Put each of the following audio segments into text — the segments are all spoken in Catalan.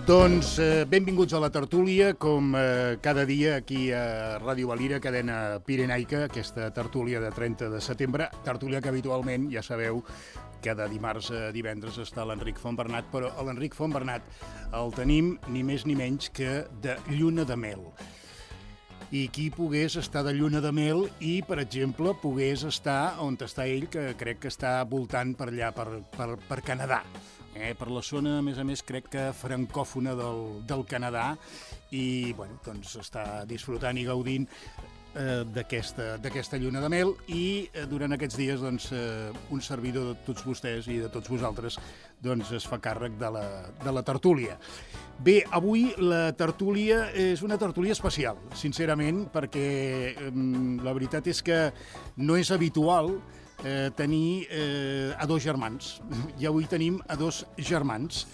Doncs benvinguts a la tertúlia, com cada dia aquí a Ràdio Valira, cadena pirenaica, aquesta tertúlia de 30 de setembre, tertúlia que habitualment, ja sabeu, cada dimarts a divendres està l'Enric Fontbernat, però l'Enric Fontbernat el tenim ni més ni menys que de lluna de mel. I qui pogués estar de lluna de mel i, per exemple, pogués estar on està ell, que crec que està voltant per allà, per Canadà. Per la zona, a més, crec que francòfona del Canadà i, bueno, doncs està disfrutant i gaudint d'aquesta lluna de mel i durant aquests dies, doncs, un servidor de tots vostès i de tots vosaltres, doncs, es fa càrrec de la tertúlia. Bé, avui la tertúlia és una tertúlia especial, sincerament, perquè la veritat és que no és habitual tenir a dos germans. I avui tenim a dos germans.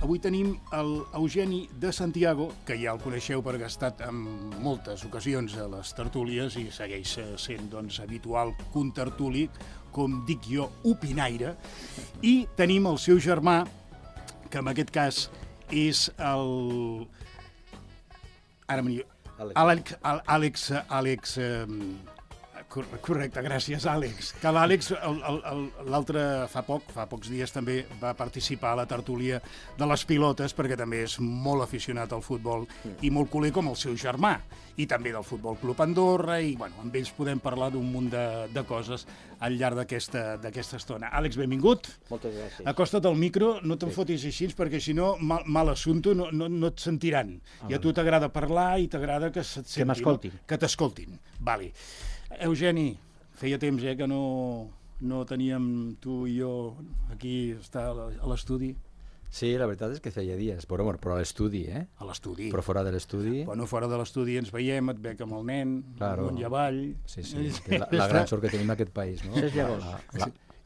Avui tenim l'Eugeni de Santiago, que ja el coneixeu perquè ha estat en moltes ocasions a les tertúlies i segueix sent, doncs, habitual contertuli, com dic jo, opinaire. I tenim el seu germà, que en aquest cas és Àlex. Correcte, gràcies, Àlex. Que l'Àlex, l'altre, fa pocs dies també va participar a la tertúlia de les pilotes, perquè també és molt aficionat al futbol i molt culer com el seu germà, i també del Futbol Club Andorra, i bueno, amb ells podem parlar d'un munt de coses al llarg d'aquesta estona. Àlex, benvingut. Moltes gràcies. Acosta't al micro, no te'n fotis així, perquè si no, mal assumpte, no et sentiran. I a tu t'agrada parlar i t'agrada que se't sentin. Que m'escoltin. Que t'escoltin, vale. Eugeni, feia temps que no teníem tu i jo aquí estar a l'estudi. Sí, la veritat és que feia dies, però a l'estudi, A l'estudi. Però fora de l'estudi... Bueno, fora de l'estudi ens veiem, et veig amb el nen, amunt i avall... Sí, la gran sort que tenim en aquest país, no?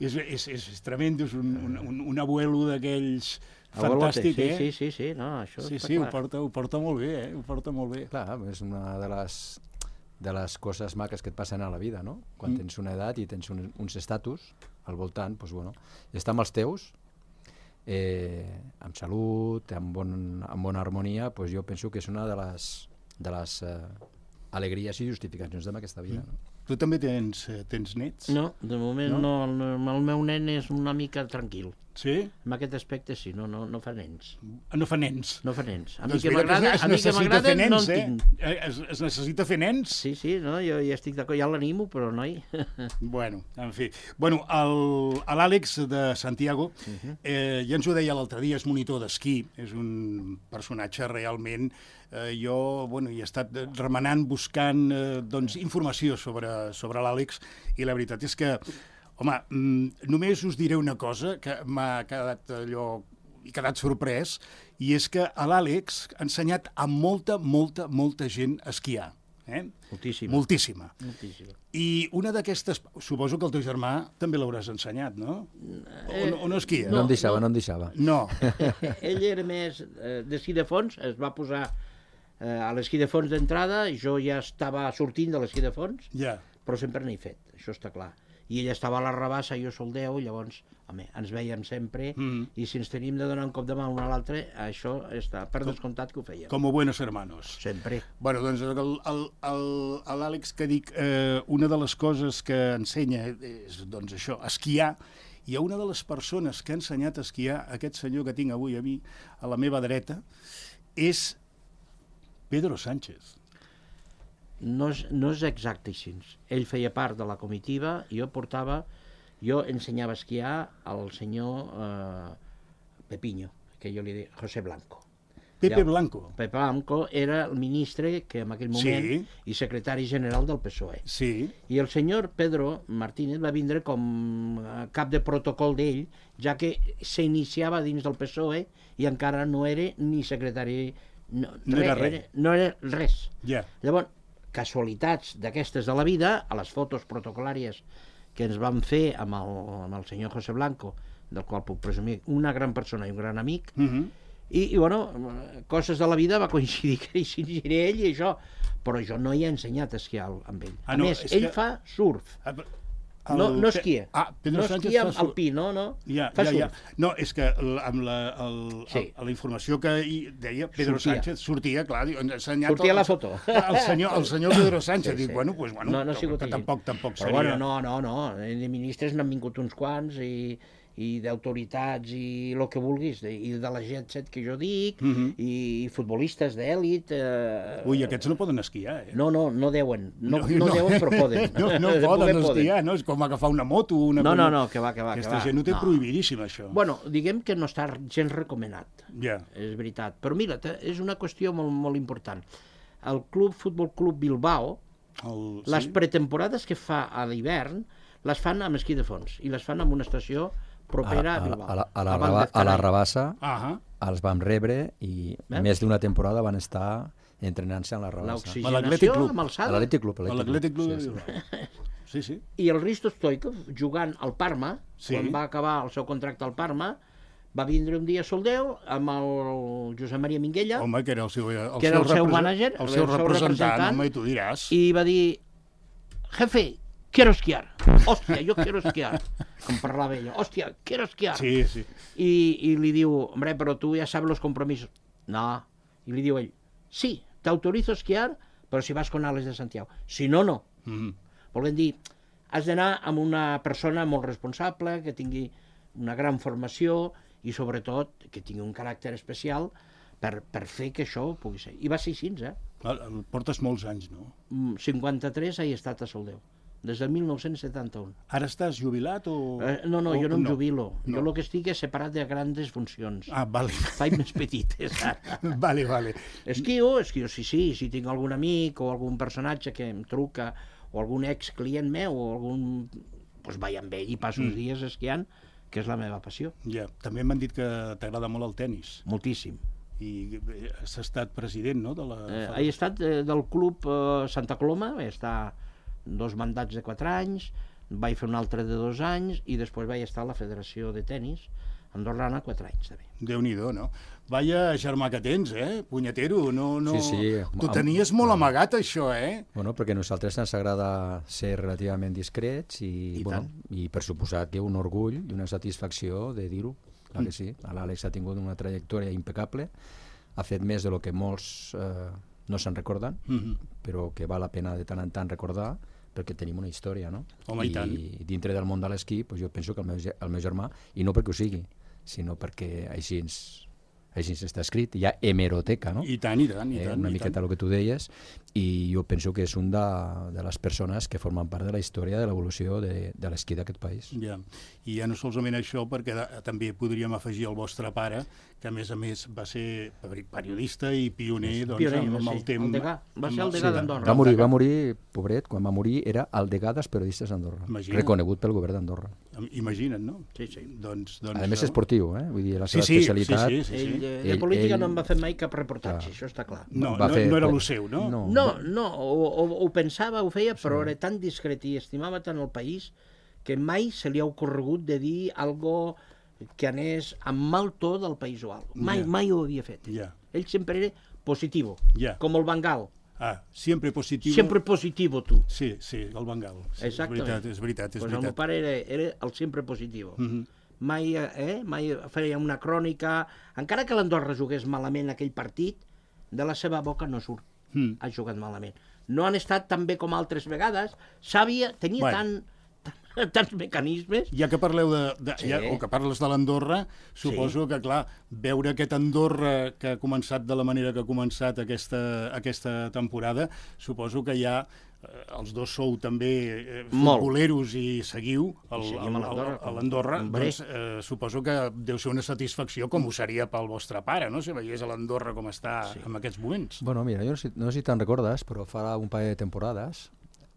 És tremendo, és un abuelo d'aquells fantàstic, Sí, no, això està clar. Ho porta molt bé, ho porta molt bé. Clar, és una de les coses maques que et passen a la vida, no? Quan tens una edat i tens uns estatus al voltant, doncs, bueno, i estar amb els teus, amb salut, amb bona harmonia, doncs jo penso que és una de les alegries i justificacions d'aquesta vida. No? Tu també tens nets? No, de moment no. El meu nen és una mica tranquil. Sí? En aquest aspecte sí, no fa nens. No fa nens? No fa nens. A mi Doncs que m'agrada no en tinc. Es necessita fer nens? Sí, no, jo ja estic d'acord, ja l'animo, però noi... Bueno, en fi. Bueno, l'Àlex de Santiago, ja ens ho deia l'altre dia, és monitor d'esquí, és un personatge realment... Jo he estat remenant, buscant informació sobre l'Àlex, i la veritat és que, home, només us diré una cosa que m'ha quedat sorprès, i és que l'Àlex ha ensenyat a molta gent a esquiar. Moltíssima. I una d'aquestes... Suposo que el teu germà també l'hauràs ensenyat, no? O no esquia? No em deixava. No. Ell era més d'esquí de fons, es va posar a l'esquí de fons d'entrada, jo ja estava sortint de l'esquí de fons, però sempre n'he fet, això està clar. I ell estava a la rabassa, jo sol 10, llavors, home, ens vèiem sempre, i si ens tenim de donar un cop de mà l'un a l'altre, això està per descomptat que ho fèiem. Com buenos hermanos. Sempre. Bueno, doncs l'Àlex, que dic, una de les coses que ensenya és, doncs, això, esquiar, i una de les persones que ha ensenyat a esquiar, aquest senyor que tinc avui a mi, a la meva dreta, és Pedro Sánchez. No és exacte així. Ell feia part de la comitiva, jo ensenyava a esquiar al senyor Pepiño, que jo li deia José Blanco. Pepe Blanco. Pepe Blanco era el ministre que en aquell moment i secretari general del PSOE. Sí. I el senyor Pedro Martínez va vindre com cap de protocol d'ell, ja que s'iniciava dins del PSOE i encara no era ni secretari... No era res. Llavors, casualitats d'aquestes de la vida, a les fotos protocolàries que ens vam fer amb el senyor José Blanco, del qual puc presumir una gran persona i un gran amic, i bueno, coses de la vida va coincidir que hi ell i això, però jo no hi he ensenyat a esquiar amb ell. A més, ell fa surf. No esquia. Pedro no Sánchez esquia alpí, no. Fa surf. No, és que amb la informació que deia Pedro Sánchez sortia, clar, sortia la foto. El senyor Pedro Sánchez, dic, bueno, no ha sigut així. Tampoc seria. Però bueno, no, de ministres n'han vingut uns quants i d'autoritats i el que vulguis, i de la jet set que jo dic, i futbolistes d'èlit... Ui, aquests no poden esquiar, eh? No deuen, no deuen, però poden. No poden esquiar, no? És com agafar una moto... No, que va. Aquesta gent ho té prohibidíssim, això. Bueno, diguem que no està gens recomanat, és veritat. Però mira, és una qüestió molt, molt important. El Futbol Club Bilbao, les pretemporades que fa a l'hivern, les fan amb esquí de fons, i les fan en una estació propera a Bilbao. A la Rabassa els vam rebre i més d'una temporada van estar entrenant-se a la Rabassa. L'oxigenació amb alçada. A l'Atlètic Club. Sí. I el Risto Stoikov, jugant al Parma, quan va acabar el seu contracte al Parma, va vindre un dia a Soldeu amb el Josep Maria Minguella, home, que era el seu mànager, el seu representant, home, i tu diràs. I va dir, jefe, quiero esquiar. Hòstia, yo quiero esquiar. Com parlava ella. Hòstia, quiero esquiar. Sí. I li diu, hombre, però tu ja sabes los compromisos. No. I li diu ell, sí, t'autorizo a esquiar, però si vas con Alex de Santiago. Si no, no. Volem dir, has d'anar amb una persona molt responsable, que tingui una gran formació i, sobretot, que tingui un caràcter especial per fer que això pugui ser. I va ser així, Portes molts anys, no? 53 he estat a Soldeu. Des del 1971. Ara estàs jubilat o...? No, jo no em jubilo. Jo el que estic és separat de grandes funcions. Vale. Faig més petites, ara. Vale. Esquio, sí. Si tinc algun amic o algun personatge que em truca o algun ex-client meu o algun... Doncs vaig amb ell i passo uns dies esquiant, que és la meva passió. Ja, també m'han dit que t'agrada molt el tenis. Moltíssim. I has estat president, no? He estat del club Santa Coloma, he estat 2 mandats de 4 anys, vaig fer un altre de 2 anys i després vaig estar a la Federació de Tenis andorrana 4 anys també. Déu-n'hi-do, no? Vaya germà que tens, punyetero, no... Sí. Tu tenies molt amagat, això, Bueno, perquè a nosaltres ens agrada ser relativament discrets i per suposat que un orgull i una satisfacció de dir-ho, clar que sí. L'Àlex ha tingut una trajectòria impecable, ha fet més de lo que molts no se'n recorden, però que val la pena de tant en tant recordar, perquè tenim una història, no? Home, i tant. I dintre del món de l'esquí, jo penso que el meu germà, i no perquè ho sigui, sinó perquè així està escrit, hi ha hemeroteca, no? I tant. Una miqueta el que tu deies, i jo penso que és un de les persones que formen part de la història de l'evolució de l'esquí d'aquest país. Ja, i ja no solament això, perquè també podríem afegir el vostre pare, que a més va ser periodista i pioner amb el temps. Va ser el degà d'Andorra. Va morir, pobret, quan va morir era el degà dels periodistes d'Andorra, reconegut pel govern d'Andorra. Imagina't, no? Sí. Doncs a més esportiu, vull dir, la seva especialitat... Sí. De política no en va fer mai cap reportatge, això està clar. No era el seu, no? No, ho pensava, ho feia, però era tan discret i estimava tant el país que mai se li ha ocorregut de dir algo que anés amb mal to del país o alguna cosa. Mai ho havia fet. Ell sempre era positivo, com el Bangal. Sempre positivo. Sempre positivo, tu. Sí, el Bangal. Exactament. És veritat. El meu pare era el sempre positivo. Mai feia una crònica, encara que l'Andorra jugués malament aquell partit, de la seva boca no surt. Ha jugat malament. No han estat tan bé com altres vegades, tenia tants mecanismes. Ja que parleu o que parles de l'Andorra, suposo que, clar, veure aquest Andorra que ha començat de la manera que ha començat aquesta temporada, suposo que ja els dos sou també futboleros i seguiu a l'Andorra, doncs suposo que deu ser una satisfacció com ho seria pel vostre pare, no? Si veiés a l'Andorra com està en aquests moments. Bueno, mira, jo no sé si te'n recordes, però fa un parell de temporades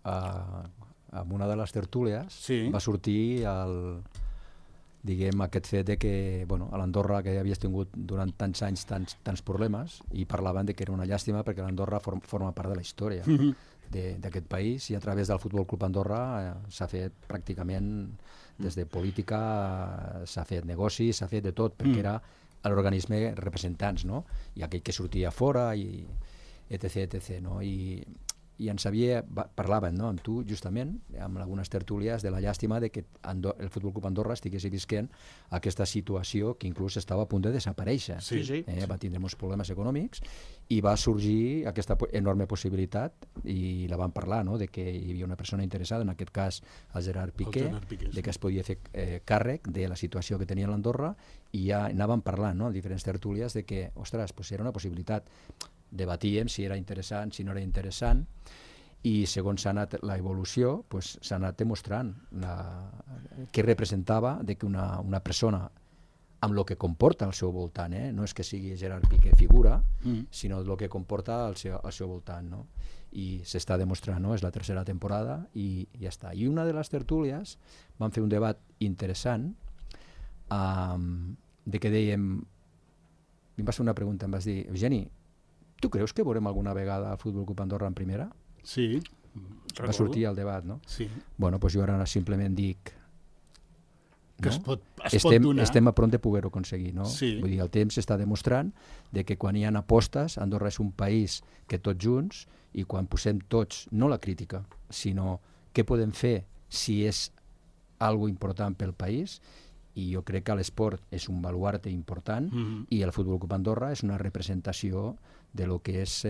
en una de les tertúlies va sortir aquest fet de que a l'Andorra, que havies tingut durant tants anys tants problemes, i parlaven de que era una llàstima perquè l'Andorra forma part de la història d'aquest país, i a través del Futbol Club Andorra s'ha fet pràcticament des de política, s'ha fet negoci, s'ha fet de tot, perquè era l'organisme representants, no? I aquell que sortia fora i etc, no? I i en Xavier parlaven, no, amb tu justament, amb algunes tertúlies, de la llàstima de que el Futbol Club Andorra estigués visquent aquesta situació que inclús estava a punt de desaparèixer. Va tindre molts problemes econòmics i va sorgir aquesta enorme possibilitat, i la van parlar, no, de que hi havia una persona interessada, en aquest cas el Gerard Piqué, de que es podia fer càrrec de la situació que tenia l'Andorra, i ja anàvem parlant, no, en diferents tertúlies, de que, ostres, pues era una possibilitat. Debatíem si era interessant, si no era interessant, i segons s'ha anat l'evolució, pues, s'ha anat demostrant què representava de que una persona, amb el que comporta al seu voltant, no és que sigui Gerard Piqué figura, sinó el que comporta al seu voltant, no? I s'està demostrant, no? És la tercera temporada i ja està. I una de les tertúlies vam fer un debat interessant de que dèiem, em vas fer una pregunta, em vas dir, Eugeni, tu creus que veurem alguna vegada el Futbol Club Andorra en primera? Sí. Va sortir el debat, no? Sí. Bueno, doncs jo ara simplement dic que es pot donar. Estem a prop de poder-ho aconseguir, no? Sí. Vull dir, el temps està demostrant de que quan hi ha apostes, Andorra és un país que tots junts, i quan posem tots, no la crítica, sinó què podem fer si és algo important pel país, i jo crec que l'esport és un baluarte important, i el Futbol Club Andorra és una representació de lo que és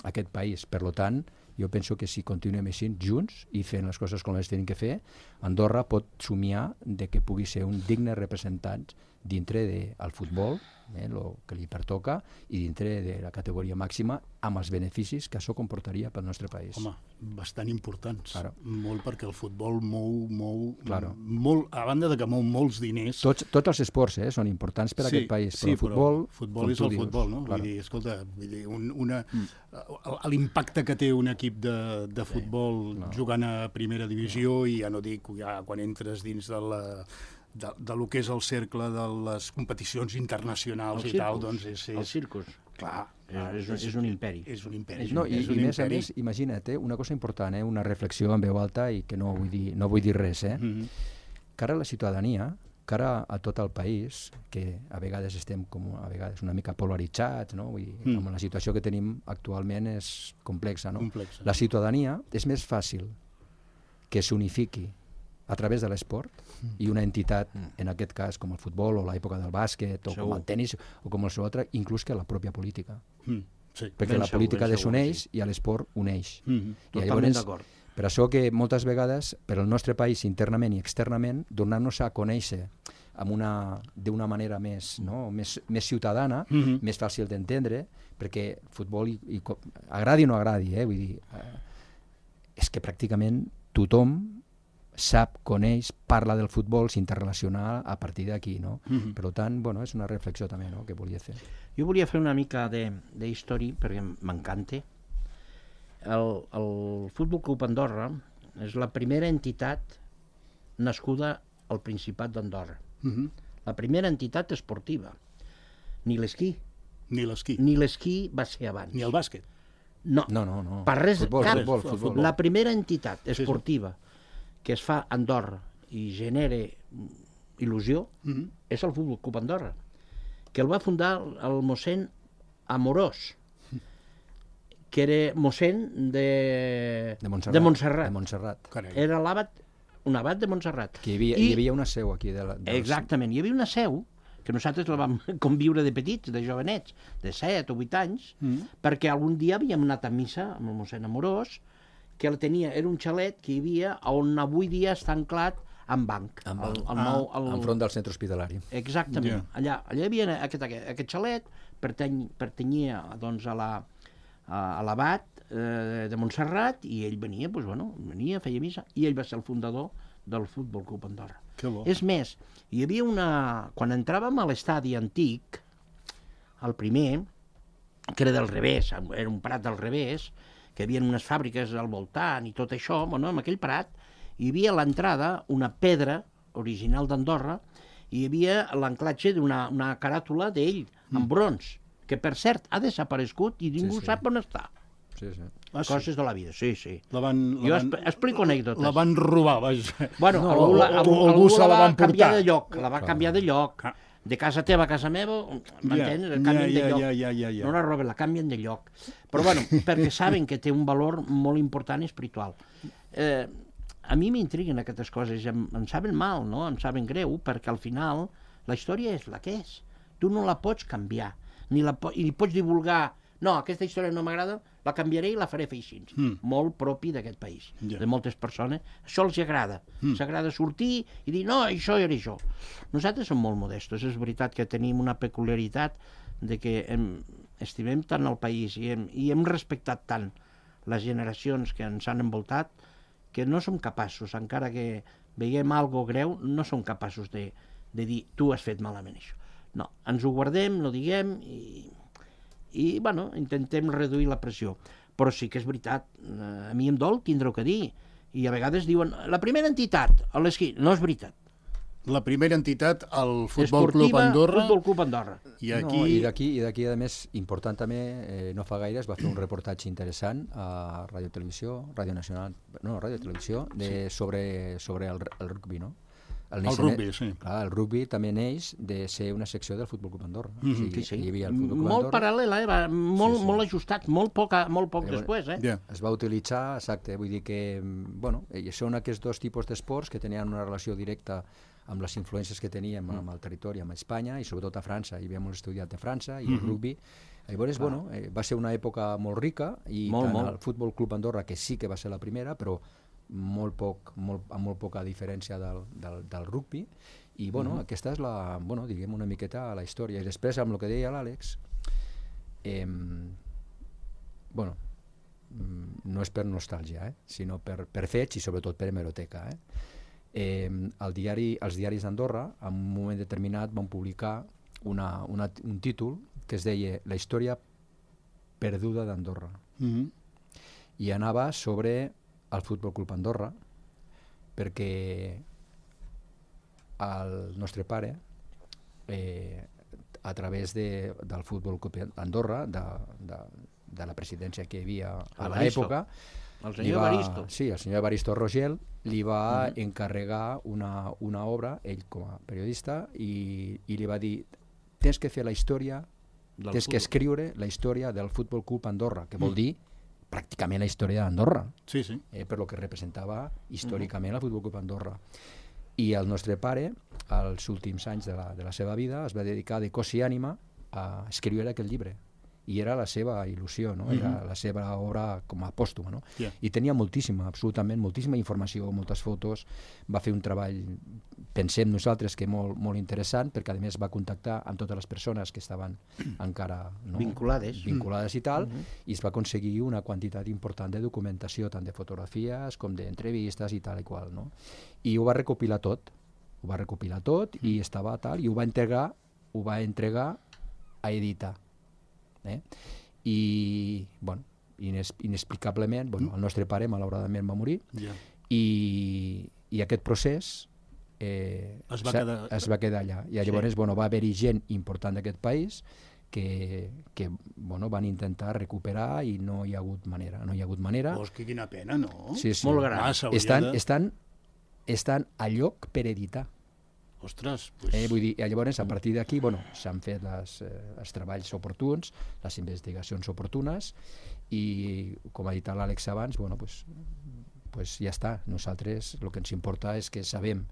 aquest país. Per tant, jo penso que si continuem així, junts, i fent les coses com les tenim que fer, Andorra pot somiar de que pugui ser un digne representant dintre del futbol, el que li pertoca, i dintre de la categoria màxima, amb els beneficis que això comportaria pel nostre país. Home, bastant importants. Claro. Molt, perquè el futbol mou Claro. molt, a banda de que mou molts diners. Tots els esports són importants per a aquest país, però el futbol és el futbol, no? Claro. Vull dir, escolta, l'impacte que té un equip de futbol jugant a primera divisió, i ja no dic quan entres dins de lo que és el cercle de les competicions internacionals i tal, doncs és... El circus. Clar. És un imperi. És un imperi. No, i més a més, imagina't, una cosa important, una reflexió en veu alta, i que no vull dir res, cara a la ciutadania, cara a tot el país, que a vegades estem a vegades una mica polaritzats, no? Vull dir, amb la situació que tenim actualment és complexa, no? La ciutadania és més fàcil que s'unifiqui a través de l'esport, i una entitat, en aquest cas com el futbol o l'època del bàsquet o com el tenis o com el seu altre, inclús que la pròpia política. Perquè la política desuneix i l'esport uneix. Totalment d'acord. Per això que moltes vegades, per al nostre país internament i externament, donar-nos a conèixer d'una manera més ciutadana, més fàcil d'entendre, perquè el futbol, agradi o no agradi, vull dir, és que pràcticament tothom sap, coneix, parla del futbol, s'interrelaciona a partir d'aquí, no? Per tant, és una reflexió també, no?, que volia fer. Jo volia fer una mica d'història, perquè m'encanta. El Futbol Club Andorra és la primera entitat nascuda al Principat d'Andorra. La primera entitat esportiva. Ni l'esquí. Ni l'esquí. Ni l'esquí va ser abans. Ni el bàsquet. No. Per res, futbol. La primera entitat esportiva que es fa a Andorra i genera il·lusió és el Futbol Club Andorra, que el va fundar el mossèn Amorós, que era mossèn de Montserrat. Era un abat de Montserrat. Que hi havia una seu aquí. Exactament, hi havia una seu que nosaltres la vam conviure de petits, de jovenets, de 7 o 8 anys, perquè algun dia havíem anat a missa amb el mossèn Amorós, que era un xalet que hi havia on avui dia està anclat en banc. Enfront del centre hospitalari. Exactament. Allà hi havia aquest xalet, pertanyia a l'abat de Montserrat, i ell venia, feia missa, i ell va ser el fundador del Futbol Club Andorra. És més, hi havia quan entràvem a l'estadi antic, el primer, que era del revés, era un prat del revés, que hi havia unes fàbriques al voltant i tot això, en aquell prat hi havia a l'entrada una pedra original d'Andorra, i hi havia l'anclatge d'una caràtula d'ell, en bronze, que per cert ha desaparegut i ningú sap on està. Coses de la vida, sí. Jo explico anècdotes. La van robar, vaja. Algú la va canviar de lloc. de casa teva a casa meva, m'entens? Canvien de lloc. Ja. No la roben, la canvien de lloc. Però bueno, perquè saben que té un valor molt important i espiritual. A mi m'intriguen aquestes coses, em saben mal, no? Em saben greu, perquè al final la història és la que és. Tu no la pots canviar, ni pots divulgar. No, aquesta història no m'agrada, la canviaré i la faré fer així. Molt propi d'aquest país, de moltes persones. Això els agrada. S'agrada sortir i dir, no, això era això. Nosaltres som molt modestos. És veritat que tenim una peculiaritat de que estimem tant el país i hem respectat tant les generacions que ens han envoltat que no som capaços, encara que veiem algo greu, no som capaços de dir, tu has fet malament això. No, ens ho guardem, no diguem i bueno, intentem reduir la pressió. Però sí que és veritat, a mi em dol tindre-ho que dir. I a vegades diuen, la primera entitat, a l'esquí, no és veritat. La primera entitat, el Futbol Club Andorra. Futbol Club Andorra. I d'aquí, a més, important també, no fa gaire es va fer un reportatge interessant a Ràdio Televisió, sobre el rugby, no? El rugby, sí. Clar, el rugby també neix de ser una secció del Futbol Club Andorra. Sí. Molt paral·lela, molt ajustat, molt poc després. Es va utilitzar, exacte, vull dir que, bueno, són aquests dos tipus d'esports que tenien una relació directa amb les influències que teníem amb el territori, amb Espanya i sobretot a França. Hi havíem estudiat de França i el rugby. Llavors, bueno, va ser una època molt rica i tant el Futbol Club Andorra, que sí que va ser la primera, però amb molt poca diferència del rugby. I, bueno, aquesta és diguem una miqueta la història. I després, amb el que deia l'Àlex, bueno, no és per nostàlgia, sinó per fets i sobretot per hemeroteca, els diaris d'Andorra en un moment determinat van publicar un títol que es deia La història perduda d'Andorra i anava sobre el Futbol Club Andorra perquè el nostre pare a través del Futbol Club Andorra de la presidència que hi havia a l'època, el senyor Evaristo. Sí, el senyor Evaristo Rogel li va encarregar una obra, ell com a periodista, i li va dir, tens que fer la història, tens que escriure la història del Futbol Club Andorra, que vol dir pràcticament la història d'Andorra, per lo que representava històricament el Futbol Club Andorra. I el nostre pare, als últims anys de la seva vida, es va dedicar de cos i ànima a escriure aquell llibre. I era la seva il·lusió, no? Era la seva obra com a pòstuma, no? I tenia absolutament moltíssima informació, moltes fotos, va fer un treball, pensem nosaltres, que molt interessant, perquè a més va contactar amb totes les persones que estaven encara vinculades i tal, i es va aconseguir una quantitat important de documentació, tant de fotografies com d'entrevistes i tal i qual, no? I ho va recopilar tot, i estava tal, i ho va entregar a editar. I, bueno, inexplicablement, el nostre pare malauradament va morir i aquest procés es va quedar allà. I llavors va haver-hi gent important d'aquest país que van intentar recuperar i no hi ha hagut manera. Que quina pena, no? Sí. Molt gran. Estan a lloc per editar. Ostres, vull dir, llavors a partir d'aquí s'han fet els treballs oportuns, les investigacions oportunes i, com ha dit l'Àlex abans, ja està. Nosaltres el que ens importa és que sabem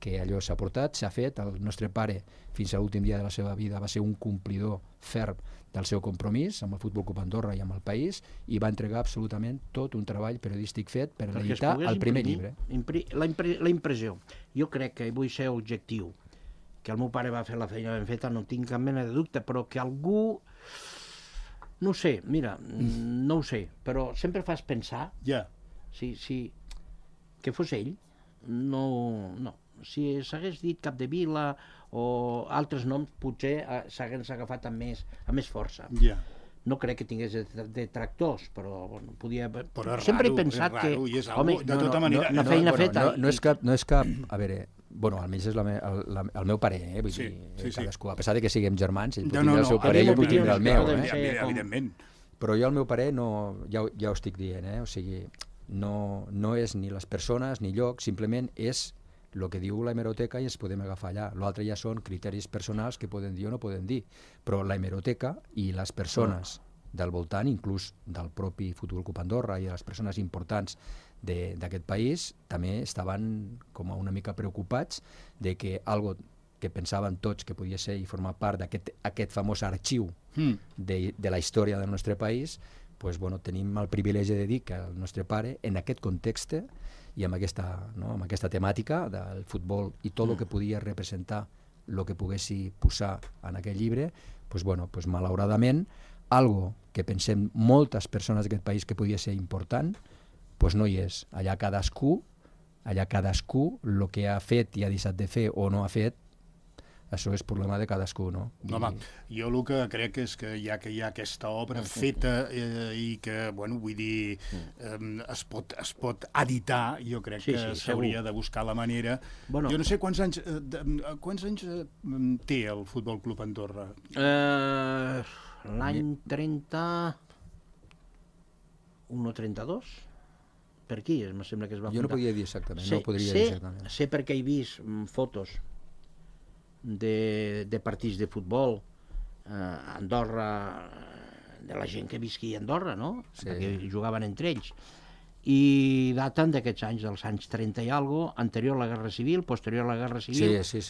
que allò s'ha portat, s'ha fet. El nostre pare, fins a l'últim dia de la seva vida, va ser un complidor ferm del seu compromís amb el Futbol Club Andorra i amb el país i va entregar absolutament tot un treball periodístic fet per editar el primer llibre. La impressió. Jo crec que vull ser objectiu, que el meu pare va fer la feina ben feta, no tinc cap mena de dubte, però que algú... No ho sé, mira, no ho sé, però sempre fas pensar si que fos ell, no. Si s'hagués dit Capdevila o altres noms, potser s'hagués agafat amb més força. No crec que tingués detractors, però podia... Sempre he pensat que... Home, de tota manera... Una feina feta... No és cap... A veure, almenys és el meu pare, vull dir, cadascú, a pesar que siguem germans, ell pot tindre el seu pare i jo puc tindre el meu. Evidentment. Però jo el meu pare, ja ho estic dient, o sigui, no és ni les persones ni lloc, simplement és el que diu la hemeroteca i ens podem agafar allà. L'altre ja són criteris personals que poden dir o no poden dir, però la hemeroteca i les persones del voltant, inclús del propi Futbol Club Andorra i les persones importants d'aquest país, també estaven com una mica preocupats de que algo que pensaven tots que podia ser i formar part d'aquest famós arxiu de la història del nostre país, pues, bueno, tenim el privilegi de dir que el nostre pare, en aquest context i amb aquesta temàtica del futbol i tot el que podia representar el que poguessi posar en aquell llibre, pues, bueno, pues, malauradament, algo que pensem moltes persones d'aquest país que podia ser important, pues no hi és. Allà cadascú, el que ha fet i ha deixat de fer o no ha fet, això és problema de cadascú, no? Home, jo el que crec és que ja que hi ha aquesta obra feta i que, bueno, vull dir, es pot editar, jo crec que s'hauria de buscar la manera. Jo no sé quants anys té el Futbol Club Andorra? L'any 31 o 32? Per aquí, em sembla que es va fundar. Jo no podia dir exactament, no podria dir exactament. Sé perquè he vist fotos de partits de futbol a Andorra, de la gent que visquia a Andorra, no? Perquè jugaven entre ells. I daten d'aquests anys, dels anys 30 i alguna cosa, anterior a la Guerra Civil, posterior a la Guerra Civil. Sí.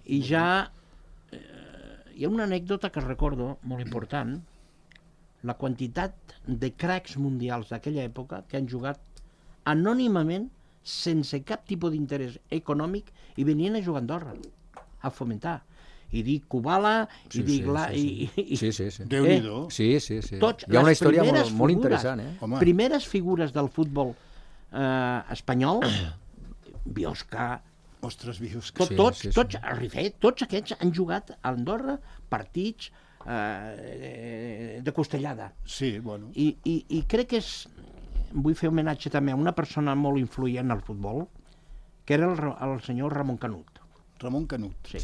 I ja hi ha una anècdota que recordo, molt important, la quantitat de cracs mundials d'aquella època que han jugat anònimament, sense cap tipus d'interès econòmic, i venien a jugar a Andorra, a fomentar. I dic Kubala, i dic... Déu-n'hi-do. Sí. Hi ha una història molt interessant, eh? Primeres figures del futbol espanyol, Biosca... Ostres, Biosca. Tots aquests han jugat a Andorra partits de costellada. Sí, bueno. I crec que és... Vull fer homenatge també a una persona molt influent al futbol, que era el senyor Ramon Canut. Ramon Canut. Sí.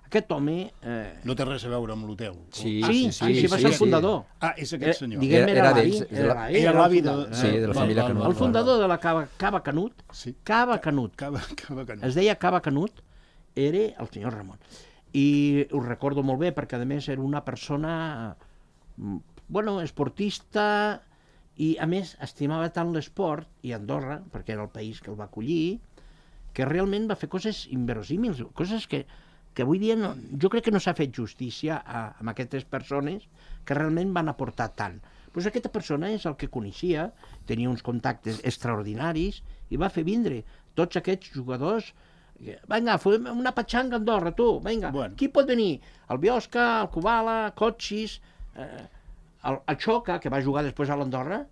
Aquest home... No té res a veure amb l'hotel. Sí, va ser el fundador. Ah, és aquest senyor. Diguem, era l'avi de la família Canut. El fundador de la Cava Canut, Cava Canut, es deia Cava Canut, era el senyor Ramon. I ho recordo molt bé, perquè a més era una persona, bueno, esportista, i a més estimava tant l'esport, i Andorra, perquè era el país que el va acollir, que realment va fer coses inverosímils, coses que avui dia jo crec que no s'ha fet justícia amb aquestes persones que realment van aportar tant. Doncs aquesta persona és el que coneixia, tenia uns contactes extraordinaris i va fer vindre tots aquests jugadors. Vinga, fem una patxanga a Andorra, tu, vinga, qui pot venir? El Biosca, el Kubala, Kotxis... El Xoca, que va jugar després a l'Andorra,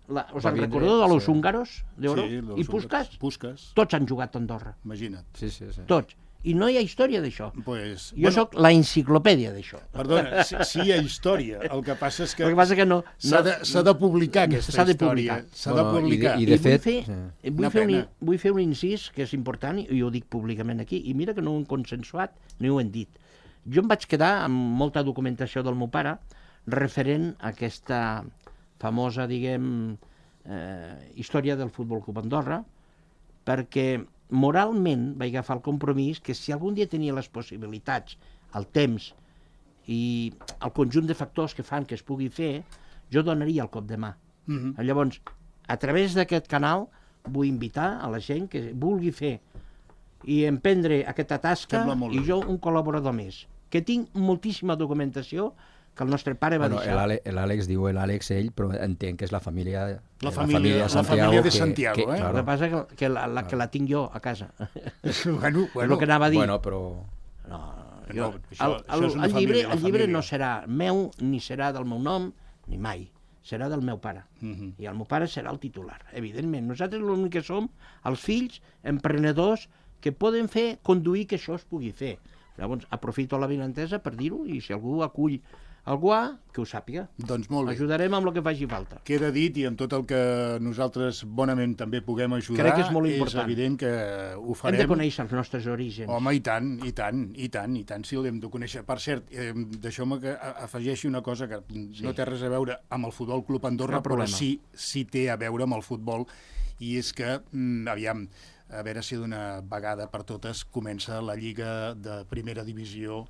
us en recordeu de los húngaros d'Oro? I Puskas? Tots han jugat a Andorra. Imagina't. Sí. Tots. I no hi ha història d'això. Jo sóc la enciclopèdia d'això. Perdona, sí hi ha història. El que passa és que s'ha de publicar aquesta història. S'ha de publicar. I de fet... Vull fer un incís que és important, i ho dic públicament aquí, i mira que no ho hem consensuat ni ho hem dit. Jo em vaig quedar amb molta documentació del meu pare referent a aquesta famosa, diguem, història del Futbol Club Andorra, perquè moralment vaig agafar el compromís que si algun dia tenia les possibilitats, el temps i el conjunt de factors que fan que es pugui fer, jo donaria el cop de mà. Llavors, a través d'aquest canal vull invitar a la gent que vulgui fer i emprendre aquesta tasca, i jo un col·laborador més, que tinc moltíssima documentació que el nostre pare va deixar. L'Àlex diu ell, però entenc que és la família de Santiago. El que passa que la tinc jo a casa. És el que anava a dir. Bueno, però... El llibre no serà meu, ni serà del meu nom, ni mai. Serà del meu pare. I el meu pare serà el titular, evidentment. Nosaltres l'únic que som, els fills, emprenedors, que poden conduir que això es pugui fer. Llavors, aprofito la benentesa per dir-ho, i si algú acull algú que ho sàpiga. Doncs molt bé. Ajudarem amb el que faci falta. Queda dit, i amb tot el que nosaltres bonament també puguem ajudar, crec que és molt important. És evident que ho farem. Hem de conèixer els nostres orígens. Home, i tant, sí, l'hem de conèixer. Per cert, deixeu-me que afegeixi una cosa que no té res a veure amb el Futbol Club Andorra, però sí té a veure amb el futbol, i és que, aviam, a veure si d'una vegada per totes comença la Lliga de Primera Divisió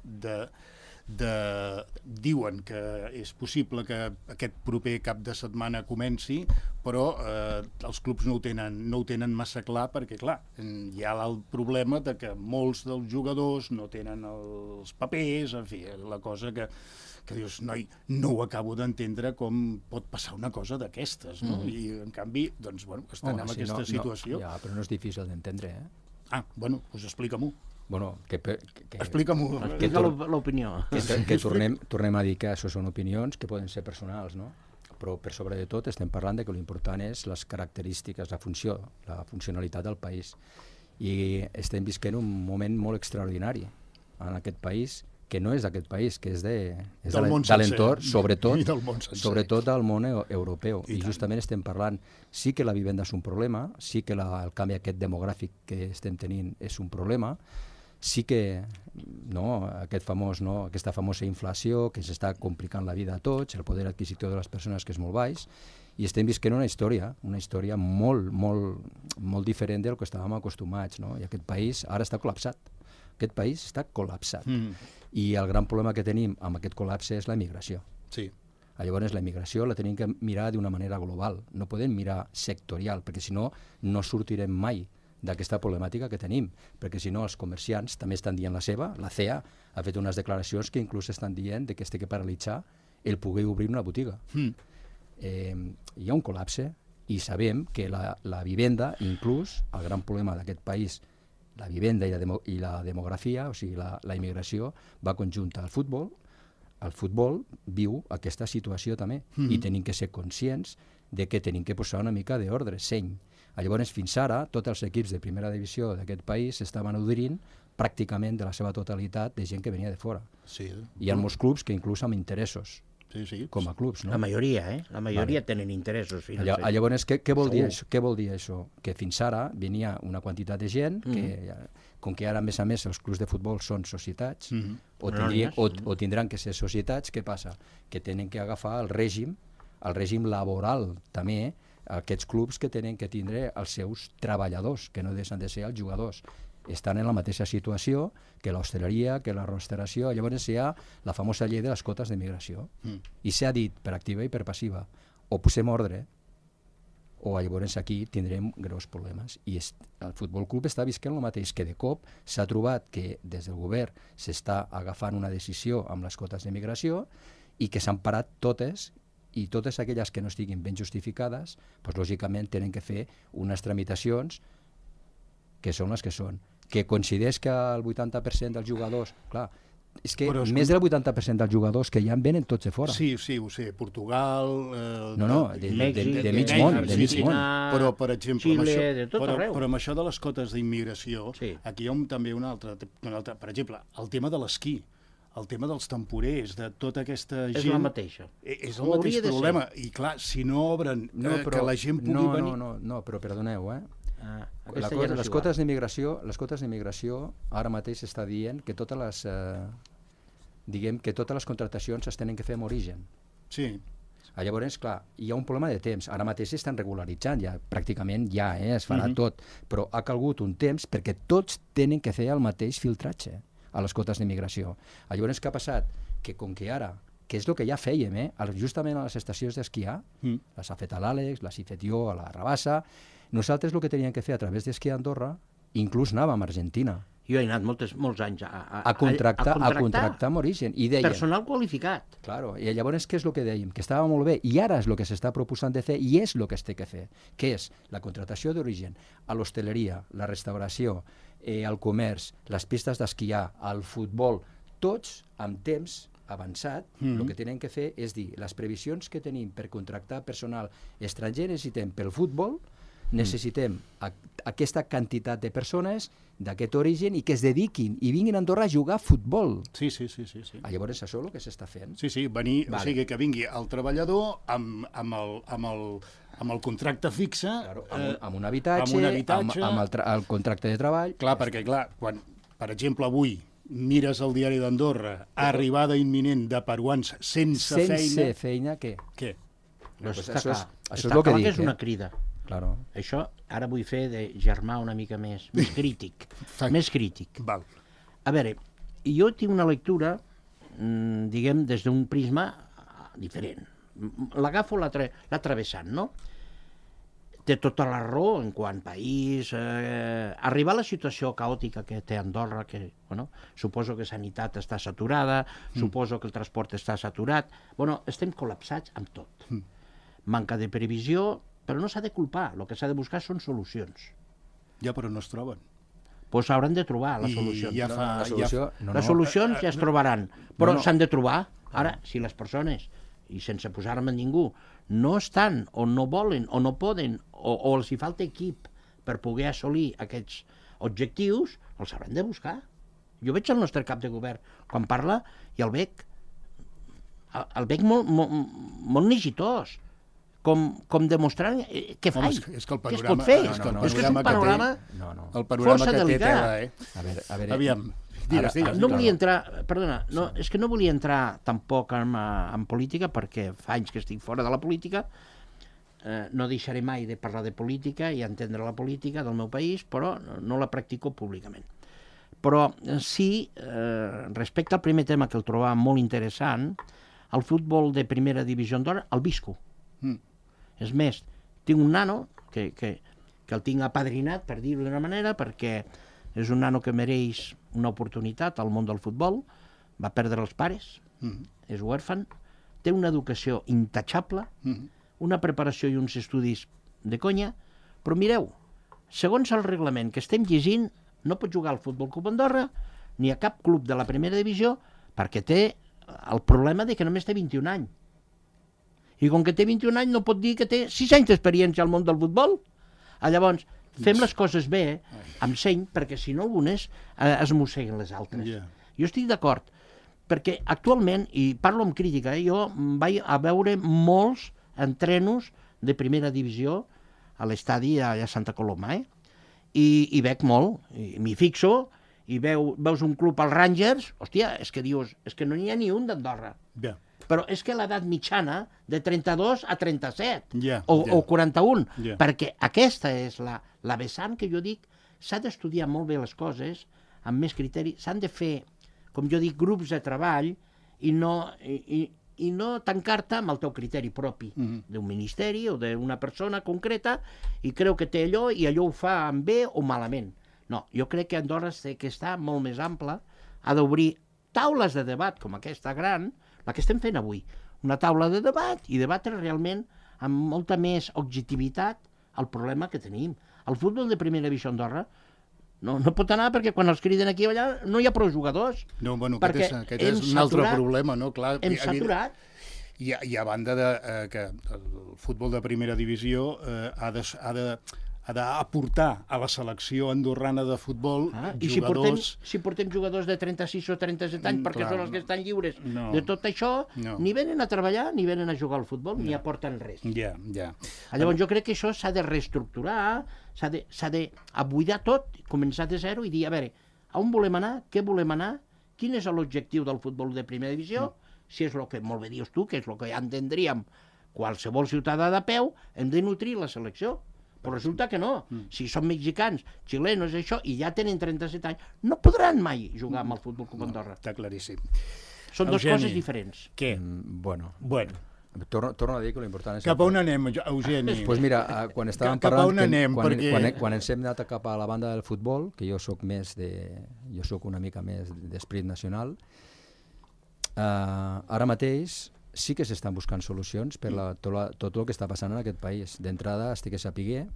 diuen que és possible que aquest proper cap de setmana comenci, però els clubs no ho tenen massa clar, perquè clar, hi ha el problema de que molts dels jugadors no tenen els papers, en fi, la cosa que dius, noi, no ho acabo d'entendre com pot passar una cosa d'aquestes, no? I en canvi, doncs, bueno, estan en aquesta situació. Ja, però no és difícil d'entendre, Bueno, doncs explica-m'ho. Bueno, Explica-m'ho. Explica l'opinió. Que tornem a dir que això són opinions que poden ser personals, no? Però per sobre de tot estem parlant de que l'important és les característiques, la funcionalitat del país. I estem visquent un moment molt extraordinari en aquest país, que no és d'aquest país, que és de l'entorn, sobretot del món europeu. I justament estem parlant, sí que la vivenda és un problema, sí que el canvi aquest demogràfic que estem tenint és un problema, sí que aquesta famosa inflació que s'està complicant la vida a tots, el poder adquisitiu de les persones que és molt baix, i estem visquent una història molt, molt, molt diferent del que estàvem acostumats, no? I aquest país ara està col·lapsat. Aquest país està col·lapsat. I el gran problema que tenim amb aquest col·lapse és la immigració. Sí. Llavors la immigració la tenim que mirar d'una manera global, no podem mirar sectorial, perquè si no, no sortirem mai d'aquesta problemàtica que tenim, perquè si no els comerciants també estan dient la seva, la CEA ha fet unes declaracions que inclús estan dient que es té que paralitzar el poder obrir una botiga. Hi ha un col·lapse i sabem que la vivenda, inclús el gran problema d'aquest país, la vivenda i la demografia, o sigui la immigració, va conjunta al futbol. El futbol viu aquesta situació també i tenim que ser conscients de que tenim que posar una mica d'ordre, seny. Llavors, fins ara, tots els equips de primera divisió d'aquest país estaven nodrint pràcticament de la seva totalitat de gent que venia de fora. Sí. Hi ha molts clubs que inclús amb interessos, com a clubs. No? La majoria, La majoria tenen interessos financers. Llavors, què vol dir això? Que fins ara venia una quantitat de gent que, com que ara, a més, els clubs de futbol són societats, o tindran que ser societats, què passa? Que tenen que agafar el règim laboral també, aquests clubs que tenen que tindre els seus treballadors, que no deixen de ser els jugadors. Estan en la mateixa situació que l'hostaleria, que la restauració. Llavors hi ha la famosa llei de les cotes d'immigració. I s'ha dit per activa i per passiva, o posem ordre, o llavors aquí tindrem greus problemes. I el Futbol Club està visquent el mateix, que de cop s'ha trobat que des del govern s'està agafant una decisió amb les cotes d'immigració i que s'han parat totes, i totes aquelles que no estiguin ben justificades, doncs, lògicament tenen que fer unes tramitacions que són les que són. Que coincideix que el 80% dels jugadors... Clar, és que més del 80% dels jugadors que ja en venen tots de fora. Sí, ho sé. Portugal... de mig món. Però, per exemple, Xile, de tot arreu. Però amb això de les cotes d'immigració, aquí hi ha també una altra... Per exemple, el tema de l'esquí, el tema dels temporers, de tota aquesta gent... És la mateixa. És el mateix problema. I clar, si no obren que la gent pugui venir... No, però perdoneu, les cotes d'immigració ara mateix està dient que totes les contractacions es tenen que fer amb origen. Sí. Llavors, clar, hi ha un problema de temps. Ara mateix s'estan regularitzant, pràcticament es farà tot, però ha calgut un temps perquè tots tenen que fer el mateix filtratge a les cotes d'immigració. Llavors, què ha passat? Que com que ara, que és el que ja fèiem, justament a les estacions d'esquiar, les ha fet a l'Àlex, les he fet jo a la Rabassa, nosaltres el que teníem que fer a través d'esquiar a Andorra, inclús anàvem a Argentina. Jo he anat molts anys a contractar amb origen. I deia, personal qualificat. Claro, i llavors què és el que dèiem? Que estava molt bé, i ara és el que s'està proposant de fer, i és el que es té que fer, que és la contractació d'origen a l'hostaleria, la restauració, el comerç, les pistes d'esquiar, el futbol, tots amb temps avançat, el que tenen que fer és dir, les previsions que tenim per contractar personal estranger necessitem pel futbol, necessitem aquesta quantitat de persones d'aquest origen i que es dediquin i vinguin a Andorra a jugar a futbol. Sí. Llavors això és el que s'està fent. Sí, venir, o sigui que vingui el treballador amb el contracte fixe... Claro, amb un habitatge, amb el contracte de treball... Clar, perquè quan, per exemple, avui mires el diari d'Andorra, arribada imminent de peruans sense feina... Sense feina, què? Què? Això és el que dic. És una crida. Claro. Això ara vull fer de germà una mica més crític. Més crític. Val. A veure, jo tinc una lectura, diguem, des d'un prisma diferent. L'agafo l'ha travessant, no? Té tota la raó en quant a país. Arribar a la situació caòtica que té Andorra, que suposo que sanitat està saturada, suposo que el transport està saturat. Estem col·lapsats amb tot. Manca de previsió, però no s'ha de culpar. El que s'ha de buscar són solucions. Ja, però no es troben. Doncs hauran de trobar les solucions. Les solucions ja es trobaran, però s'han de trobar. Ara, si les persones, i sense posar-me ningú, no estan, o no volen, o no poden, o els hi falta equip per poder assolir aquests objectius, els hauran de buscar. Jo veig el nostre cap de govern quan parla i el veig molt negitós, com demostrant què faig, què es pot fer. És que és un panorama força delicat. A veure, aviam, digues. No volia entrar, perdona, és que no volia entrar tampoc en política, perquè fa anys que estic fora de la política, no deixaré mai de parlar de política i entendre la política del meu país, però no la practico públicament. Però sí, respecte al primer tema que el trobava molt interessant, el futbol de primera divisió Andorra el visco. És més, tinc un nano que el tinc apadrinat, per dir-ho d'una manera, perquè és un nano que mereix una oportunitat al món del futbol, va perdre els pares, és huèrfan, té una educació intachable, una preparació i uns estudis de conya, però mireu, segons el reglament que estem llegint, no pot jugar al Futbol Club Andorra ni a cap club de la primera divisió perquè té el problema de que només té 21 anys. I com que té 21 anys no pot dir que té 6 anys d'experiència al món del futbol. Llavors, fem les coses bé, amb seny, perquè si no unes es mosseguen les altres. Jo estic d'acord, perquè actualment, i parlo amb crítica, jo vaig a veure molts entrenos de primera divisió a l'estadi a Santa Coloma, i veig molt, i m'hi fixo, i veus un club als Rangers, hòstia, és que dius, és que no n'hi ha ni un d'Andorra. Però és que l'edat mitjana de 32 a 37 o 41, perquè aquesta és la vessant que jo dic, s'ha d'estudiar molt bé les coses, amb més criteri, s'han de fer, com jo dic, grups de treball i no tancar-te amb el teu criteri propi d'un ministeri o d'una persona concreta i creu que té allò i allò ho fa bé o malament. No, jo crec que Andorra té que estar molt més ampla, ha d'obrir taules de debat com aquesta gran, la que estem fent avui, una taula de debat i debatre realment amb molta més objectivitat el problema que tenim. El futbol de primera divisió a Andorra no pot anar perquè quan els criden aquí i allà no hi ha prou jugadors. No, bueno, aquest és un altre problema, no? Clar, hem saturat. I a banda que el futbol de primera divisió ha d'aportar a la selecció andorrana de futbol jugadors... I si portem jugadors de 36 o 37 anys perquè són els que estan lliures de tot això, ni venen a treballar ni venen a jugar al futbol, ni aporten res. Llavors jo crec que això s'ha de reestructurar, s'ha de buidar tot, començar de zero i dir, a veure, on volem anar, què volem anar, quin és l'objectiu del futbol de primera divisió, si és el que molt bé dius tu, que és el que ja entendríem qualsevol ciutadà de peu, hem de nutrir la selecció. Però resulta que no. Si són mexicans, xilenos, això, i ja tenen 37 anys, no podran mai jugar amb el Futbol Club Andorra. Està claríssim. Són dues coses diferents. Què? Bueno. Torno a dir que l'important és... Cap a on anem, Eugeni? Doncs mira, quan estàvem parlant... Quan ens hem anat cap a la banda del futbol, que jo soc una mica més d'esperit nacional, ara mateix sí que s'estan buscant solucions per tot el que està passant en aquest país. D'entrada estic a saber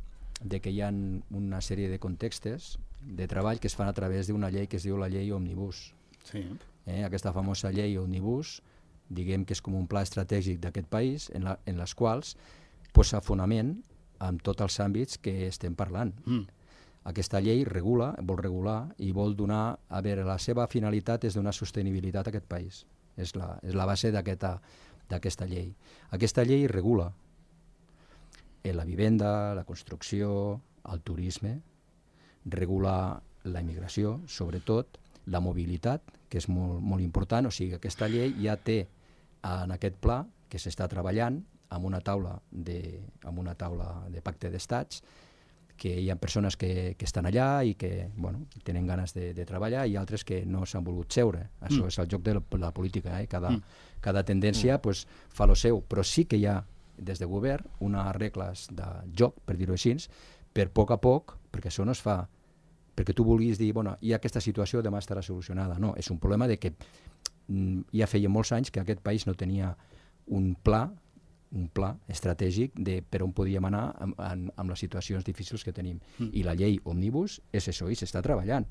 que hi ha una sèrie de contextes de treball que es fan a través d'una llei que es diu la llei Òmnibus. Aquesta famosa llei Òmnibus, diguem que és com un pla estratègic d'aquest país en les quals posa fonament en tots els àmbits que estem parlant. Aquesta llei vol regular i vol donar, a veure, la seva finalitat és donar sostenibilitat a aquest país. És la base d'aquesta llei. Aquesta llei regula la vivenda, la construcció, el turisme, regula la immigració, sobretot la mobilitat, que és molt, molt important. O sigui, aquesta llei ja té en aquest pla que s'està treballant amb una taula de pacte d'estats, que hi ha persones que estan allà i que tenen ganes de treballar i altres que no s'han volgut seure. Això és el joc de la política. Cada tendència fa lo seu, però sí que hi ha des de govern unes regles de joc, per dir-ho així, per poc a poc, perquè això no es fa perquè tu vulguis dir, hi ha aquesta situació, demà estarà solucionada. No, és un problema de que ja feia molts anys que aquest país no tenia un pla estratègic de per on podíem anar amb les situacions difícils que tenim. I la llei Òmnibus és això, i s'està treballant.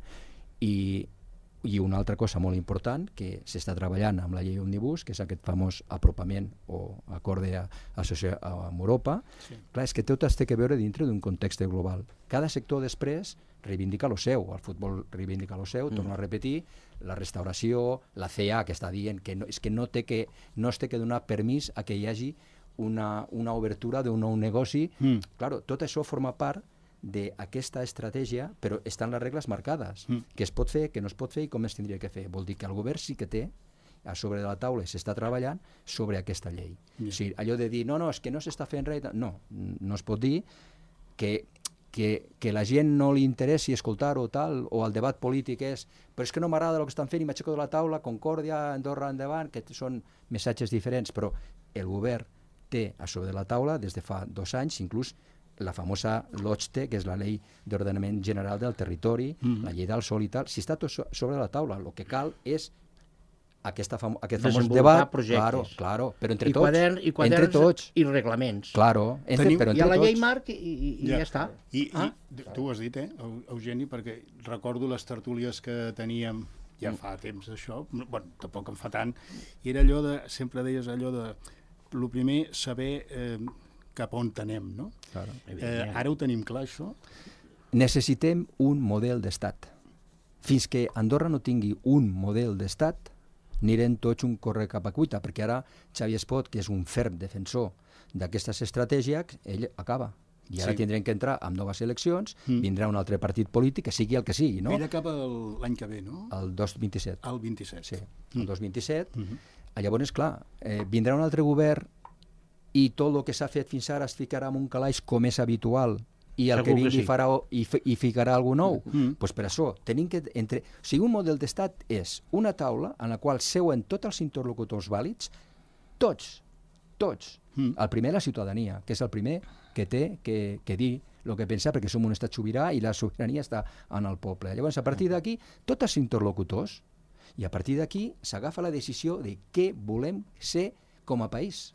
I una altra cosa molt important, que s'està treballant amb la llei Òmnibus, que és aquest famós apropament o acord amb Europa. Clar, és que tot es té que veure dintre d'un context global. Cada sector després reivindica el seu, el futbol reivindica el seu, torno a repetir, la restauració, la CEA, que està dient que no es té que donar permís a que hi hagi una obertura d'un nou negoci. Claro, tot això forma part d'aquesta estratègia, però estan les regles marcades, què es pot fer, què no es pot fer i com es tindria que fer. Vol dir que el govern sí que té a sobre de la taula, s'està treballant sobre aquesta llei. O sigui, allò de dir, no, és que no s'està fent res, no es pot dir que la gent no li interessi escoltar-ho tal, o el debat polític és però és que no m'agrada el que estan fent i m'aixeco de la taula, Concòrdia, Andorra endavant, que són missatges diferents, però el govern té a sobre de la taula des de fa 2 anys, inclús la famosa LOCHTE, que és la Llei d'Ordenament General del Territori, la Llei del Sòl i tal, si està tot sobre la taula, el que cal és aquest famós debat, claro, però entre tots. I reglaments. Claro, però entre tots. Hi ha la llei marc i ja està. I tu ho has dit, Eugeni, perquè recordo les tertúlies que teníem ja fa temps d'això, tampoc en fa tant, i era allò de, sempre deies allò de, el primer, saber cap on anem, no? Ara ho tenim clar, això? Necessitem un model d'estat. Fins que Andorra no tingui un model d'estat, anirem tots un corre cap a cuita, perquè ara Xavier Espot, que és un ferm defensor d'aquestes estratègies, ell acaba. I ara tindrem que entrar amb noves eleccions, vindrà un altre partit polític, que sigui el que sigui, no? Ell acaba l'any que ve, no? El 2027. El 27. Sí, el 2027. Llavors, clar, vindrà un altre govern i tot el que s'ha fet fins ara es ficarà en un calaix com és habitual i el que vingui farà i ficarà alguna nou. Doncs per això tenim que... O sigui, un model d'estat és una taula en la qual seuen tots els interlocutors vàlids, tots. El primer, la ciutadania, que és el primer que té que dir el que pensa, perquè som un estat sobirà i la sobirania està en el poble. Llavors, a partir d'aquí, tots els interlocutors, i a partir d'aquí s'agafa la decisió de què volem ser com a país.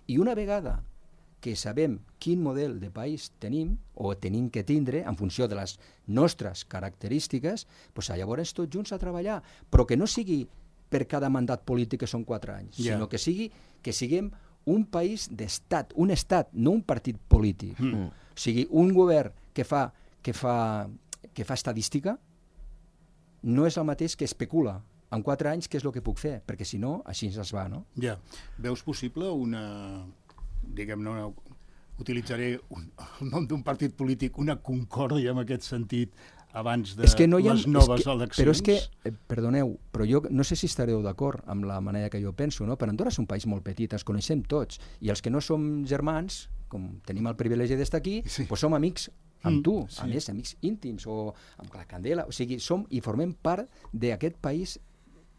I una vegada que sabem quin model de país tenim o tenim que tindre en funció de les nostres característiques, doncs llavors tots junts a treballar, però que no sigui per cada mandat polític que són 4 anys, sinó que siguem un país d'estat, un estat, no un partit polític. O sigui, un govern que fa estadística no és el mateix que especula en 4 anys què és el que puc fer, perquè si no, així ens va, no? Ja. Veus possible una, diguem-ne, utilitzaré el nom d'un partit polític, una concòrdia en aquest sentit abans de les noves eleccions? Però és que, perdoneu, però jo no sé si estareu d'acord amb la manera que jo penso, no? Però Andorra és un país molt petit, ens coneixem tots, i els que no som germans, com tenim el privilegi d'estar aquí, doncs som amics amb tu, a més, amics íntims, o amb la Candela, o sigui, som i formem part d'aquest país,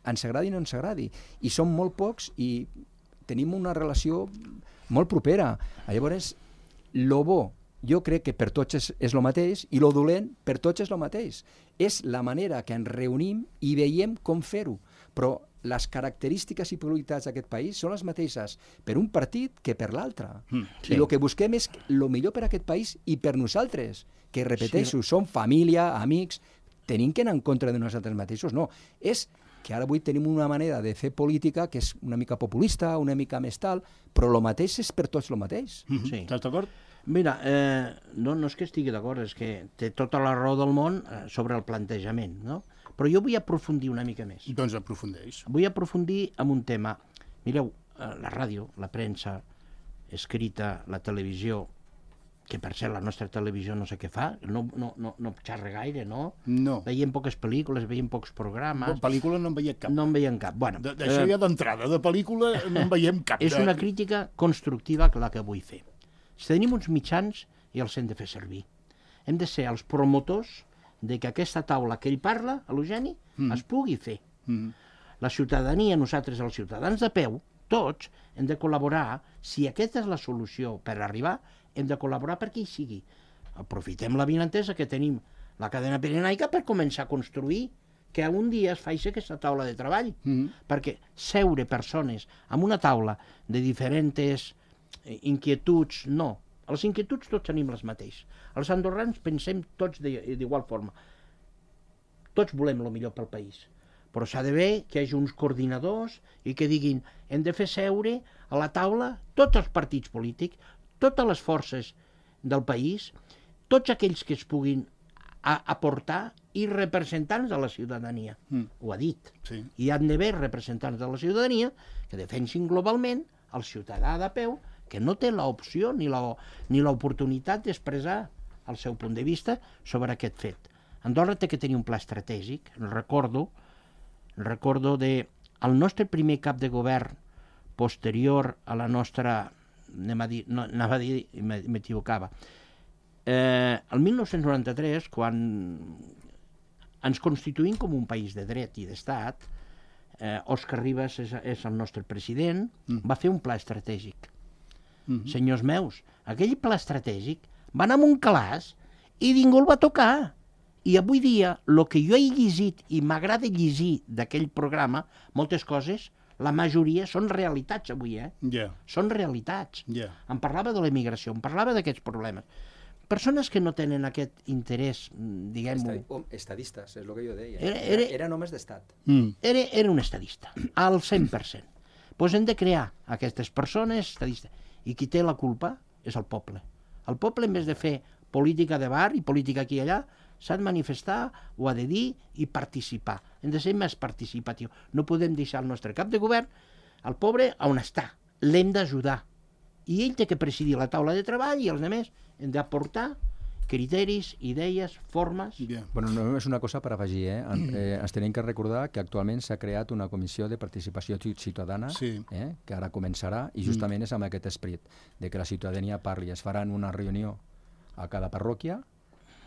ens agradi o no ens agradi, i som molt pocs i tenim una relació molt propera. Llavors, lo bo, jo crec que per tots és el mateix, i lo dolent per tots és el mateix. És la manera que ens reunim i veiem com fer-ho, però les característiques i prioritats d'aquest país són les mateixes per un partit que per l'altre. I el que busquem és el millor per a aquest país i per nosaltres, que repeteixo, som família, amics, tenim que anar en contra de nosaltres mateixos. No, és que ara avui tenim una manera de fer política que és una mica populista, una mica més tal, però el mateix és per tots el mateix. Estàs d'acord? Mira, no és que estigui d'acord, és que té tota la raó del món sobre el plantejament, no? Però jo vull aprofundir una mica més. Doncs aprofundeix. Vull aprofundir en un tema. Mireu, la ràdio, la premsa, escrita, la televisió, que per cert la nostra televisió no sé què fa, no xerra gaire, no? No. Veiem poques pel·lícules, veiem pocs programes... Pel·lícula no en veiem cap. No en veiem cap. Bueno, D'això ja d'entrada, de pel·lícula no en veiem cap. és una crítica constructiva la que vull fer. Si tenim uns mitjans i els hem de fer servir. Hem de ser els promotors de que aquesta taula que ell parla, a l'Eugeni, es pugui fer. La ciutadania, nosaltres els ciutadans de peu, tots, hem de col·laborar. Si aquesta és la solució per arribar, hem de col·laborar perquè hi sigui. Aprofitem la vinentesa que tenim la cadena pirenaica per començar a construir que un dia es faci aquesta taula de treball. Perquè seure persones amb una taula de diferents inquietuds, no. Les inquietuds tots tenim les mateixes. Els andorrans pensem tots d'igual forma. Tots volem el millor pel país. Però s'ha de ver que hi hagi uns coordinadors i que diguin hem de fer seure a la taula tots els partits polítics, totes les forces del país, tots aquells que es puguin aportar i representants de la ciutadania. Ho ha dit. Sí. Hi han d'haver representants de la ciutadania que defensin globalment el ciutadà de peu que no té l'opció ni l'oportunitat d'expressar el seu punt de vista sobre aquest fet. Andorra té que tenir un pla estratègic. Recordo el nostre primer cap de govern posterior a la nostra... anava a dir i m'equivocava. El 1993, quan ens constituïm com un país de dret i d'estat, Òscar Ribas és el nostre president, va fer un pla estratègic. Senyors meus, aquell pla estratègic va anar amb un calaix i ningú el va tocar. I avui dia, el que jo he llegit i m'agrada llegir d'aquell programa, moltes coses, la majoria són realitats avui, Són realitats. Em parlava de l'emigració, em parlava d'aquests problemes. Persones que no tenen aquest interès, diguem-ho... Estadistes, és el que jo deia. Era només d'estat. Era un estadista, al 100%. Doncs hem de crear aquestes persones estadistes. I qui té la culpa és el poble. El poble, en vez de fer política de bar i política aquí i allà, s'ha de manifestar, ho ha de dir i participar. Hem de ser més participatiu. No podem deixar el nostre cap de govern, el pobre, on està. L'hem d'ajudar. I ell té que presidir la taula de treball i els altres hem d'aportar criteris, idees, formes... Bueno, no és una cosa per afegir, ens tenim que recordar que actualment s'ha creat una comissió de participació ciutadana, que ara començarà, i justament és amb aquest esperit, de que la ciutadania parli. Es faran una reunió a cada parròquia,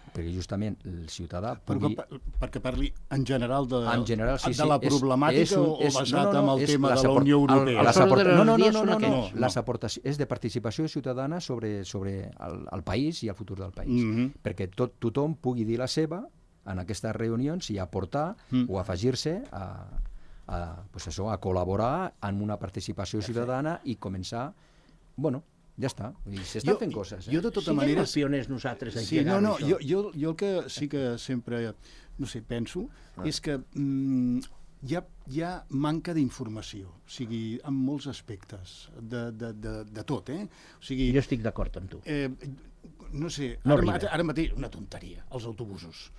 perquè justament el ciutadà pugui... Perquè parli en general de la problemàtica o basat en el tema de la Unió Europea? No. Les aportacions és de participació ciutadana sobre el país i el futur del país. Perquè tothom pugui dir la seva en aquestes reunions i aportar o afegir-se a col·laborar en una participació ciutadana i començar... Ja està, s'estan fent coses. Jo de tota manera... Siguem els pioners nosaltres. Jo el que sí que sempre, penso, és que hi ha manca d'informació, o sigui, en molts aspectes, de tot, O sigui... Jo estic d'acord amb tu. Ara mateix, una tonteria, els autobusos.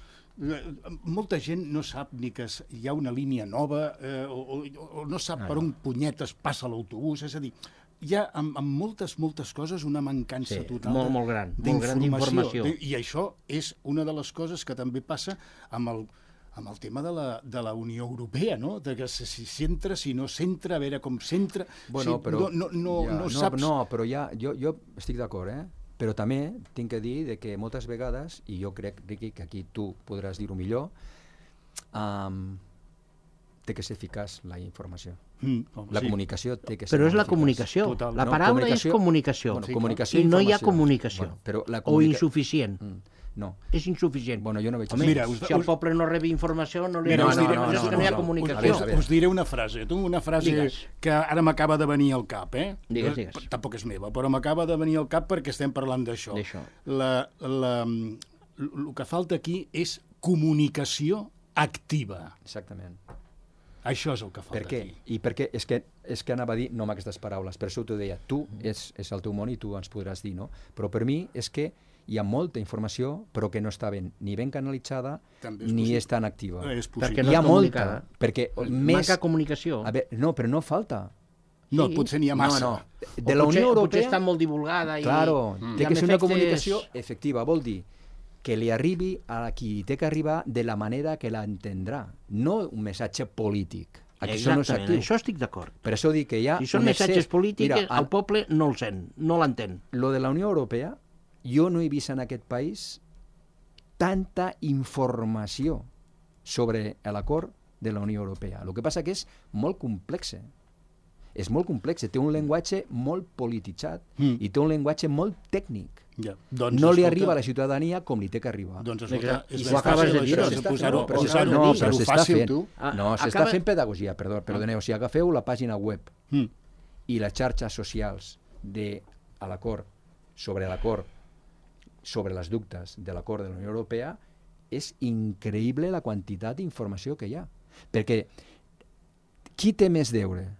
Molta gent no sap ni que hi ha una línia nova o no sap per on punyetes passa l'autobús, és a dir... Hi ha en moltes coses una mancança total molt gran d'informació. I això és una de les coses que també passa amb el tema de la Unió Europea, no? De que si s'entra, si no s'entra, a veure com s'entra... No saps... No, però jo estic d'acord, però també tinc que dir que moltes vegades, i jo crec, Riqui, que aquí tu podràs dir-ho millor, té que ser eficaç la informació. La comunicació té que ser però és la comunicació. La paraula és comunicació. I no hi ha comunicació. O insuficient. No. És insuficient. Jo no veig... Si el poble no rebi informació, no hi ha comunicació. Us diré una frase. Una frase que ara m'acaba de venir al cap. Digues. Tampoc és meva, però m'acaba de venir al cap perquè estem parlant d'això. El que falta aquí és comunicació activa. Exactament. Això és el que falta aquí. I perquè és que anava a dir, no amb aquestes paraules, per això t'ho deia, tu és el teu món i tu ens podràs dir, no? Però per mi és que hi ha molta informació, però que no està ni ben canalitzada, ni és tan activa. Perquè no és comunicada. Perquè manca comunicació. No, però no falta. No, potser n'hi ha massa. No. De la Unió Europea... Potser està molt divulgada i... Claro, té que ser una comunicació efectes... efectiva, vol dir que li arribi a qui té que arribar de la manera que l'entendrà, no un missatge polític. Aquí són els actius. Això estic d'acord. Per això dic que hi ha... Si són missatges polítics, Mira, el poble no el sent, no l'entén. Lo de la Unió Europea, jo no he vist en aquest país tanta informació sobre l'acord de la Unió Europea. El que passa que és molt complex. És molt complex, té un llenguatge molt polititzat i té un llenguatge molt tècnic. Ja. Doncs, no li arriba a la ciutadania com li té que arribar. Doncs escolta, és ho acabes de dir, posar-ho fàcil, tu. No, s'està fent pedagogia, perdoneu, si agafeu la pàgina web i les xarxes socials de l'acord, sobre les dubtes de l'acord de la Unió Europea, és increïble la quantitat d'informació que hi ha. Perquè qui té més deure?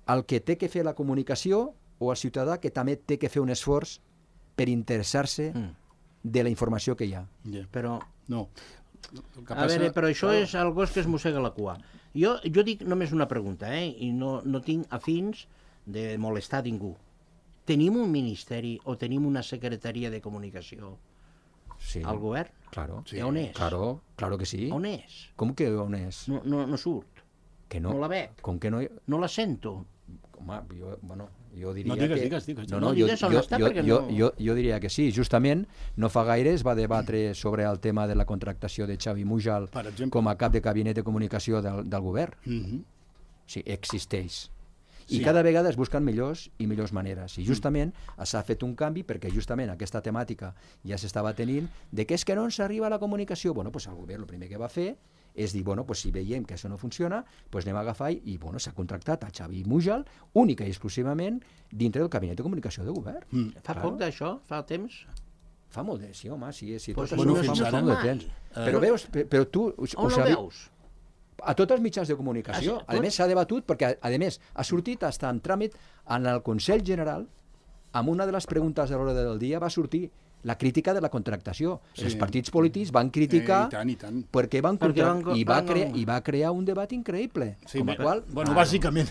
El que té que fer la comunicació o el ciutadà que també té que fer un esforç per interessar-se de la informació que hi ha? Però... No. A veure, però això és el gos que es mossega la cua. Jo dic només una pregunta, i no tinc afins de molestar ningú. Tenim un ministeri o tenim una secretaria de comunicació al govern? Claro. Sí. On és? Claro que sí. On és? Com que on és? No surt. Que no. No la veig. Com que no? No la sento. Home, jo diria que... Digues. No digues on està, perquè no... Jo diria que sí. Justament, no fa gaire es va debatre sobre el tema de la contractació de Xavi Mujal com a cap de gabinet de comunicació del govern. Sí, existeix. I cada vegada es busquen millors i millors maneres. I justament s'ha fet un canvi perquè justament aquesta temàtica ja s'estava tenint de que és que no ens arriba a la comunicació. Bueno, pues el govern el primer que va fer és dir, bueno, pues si veiem que això no funciona, pues anem a agafar i bueno, s'ha contractat a Xavi Mujal única i exclusivament dintre del gabinet de comunicació de govern. Fa poc d'això? Fa temps? Fa molt de... Sí, home, sí. Pues tot no això fins fa ara. molt de temps. Però veus, però tu... On ho veus? A tots els mitjans de comunicació. A més, s'ha debatut perquè, a més, ha sortit fins en tràmit en el Consell General, amb una de les preguntes de l'hora del dia va sortir la crítica de la contractació. Els partits polítics van criticar i tant. perquè van contractar i va crear un debat increïble. Sí, bueno, bàsicament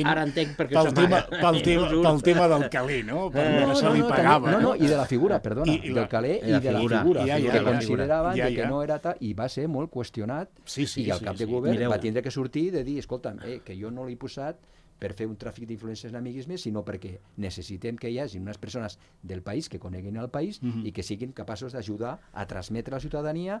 ara entenc perquè pel tema del calé, no? Per se li pagava. No, i de la figura, perdona, del calé i de la figura, que consideraven que no era tal, i va ser molt qüestionat, i el cap de govern va tindre que sortir de dir, escolta'm, que jo no l'he posat per fer un tràfic d'influències en amiguisme, sinó perquè necessitem que hi hagi unes persones del país que coneguin el país i que siguin capaços d'ajudar a transmetre a la ciutadania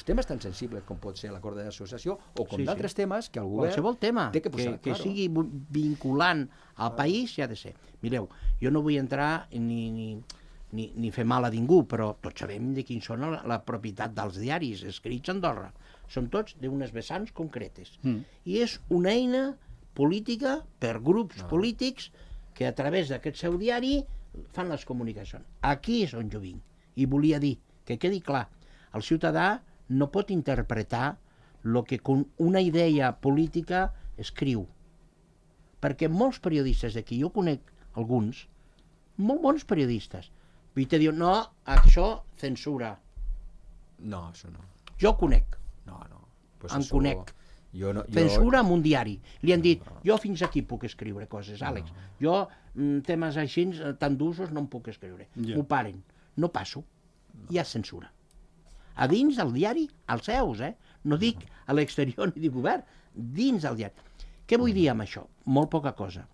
temes tan sensibles com pot ser l'acord d'associació o com d'altres temes que el govern qualsevol tema té que posar. Que sigui vinculant al país ja ha de ser. Mireu, jo no vull entrar ni fer mal a ningú, però tots sabem de quins són la propietat dels diaris escrits a Andorra. Són tots d'unes vessants concretes. I és una eina política per grups polítics que a través d'aquest seu diari fan les comunicacions. Aquí és on jo vinc. I volia dir, que quedi clar, el ciutadà no pot interpretar el que una idea política escriu. Perquè molts periodistes d'aquí, jo conec alguns, molt bons periodistes, i te diuen, no, això censura. No, això no. Jo conec. No. Pues en conec. Censura en un diari. Li han dit, jo fins aquí puc escriure coses, Àlex. Jo temes així tan d'usos no em puc escriure. M'ho paren. No passo. Hi ha censura. A dins del diari, als seus, no dic a l'exterior ni de govern, dins del diari. Què vull dir amb això? Molt poca cosa.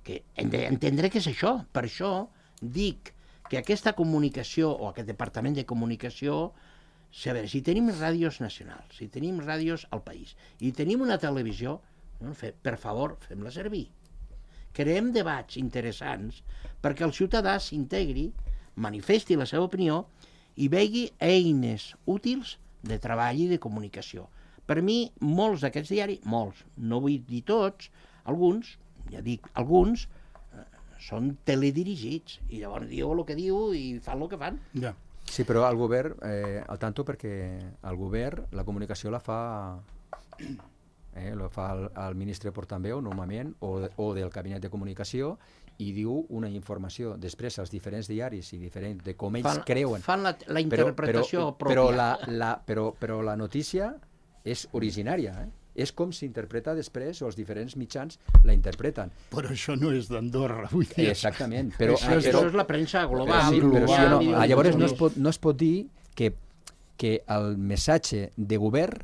Que hem d'entendre què és això. Per això dic que aquesta comunicació o aquest departament de comunicació, a veure, si tenim ràdios nacionals, si tenim ràdios al país i tenim una televisió, per favor, fem-la servir. Creem debats interessants perquè el ciutadà s'integri, manifesti la seva opinió i vegi eines útils de treball i de comunicació. Per mi, molts d'aquests diaris, molts, no vull dir tots, alguns, ja dic alguns, són teledirigits i llavors diu el que diu i fan el que fan. Ja. Sí, però el govern, al tanto perquè el govern, la comunicació la fa el ministre portaveu normalment o del gabinet de comunicació i diu una informació. Després els diferents diaris i diferents de com ells creuen. Fan la interpretació pròpia. Però la notícia és originària, és com s'interpreta després, o els diferents mitjans la interpreten. Però això no és d'Andorra, vull dir. Exactament. Però, això és la premsa global. sí, però sí, global, llavors no es pot dir que el missatge de govern,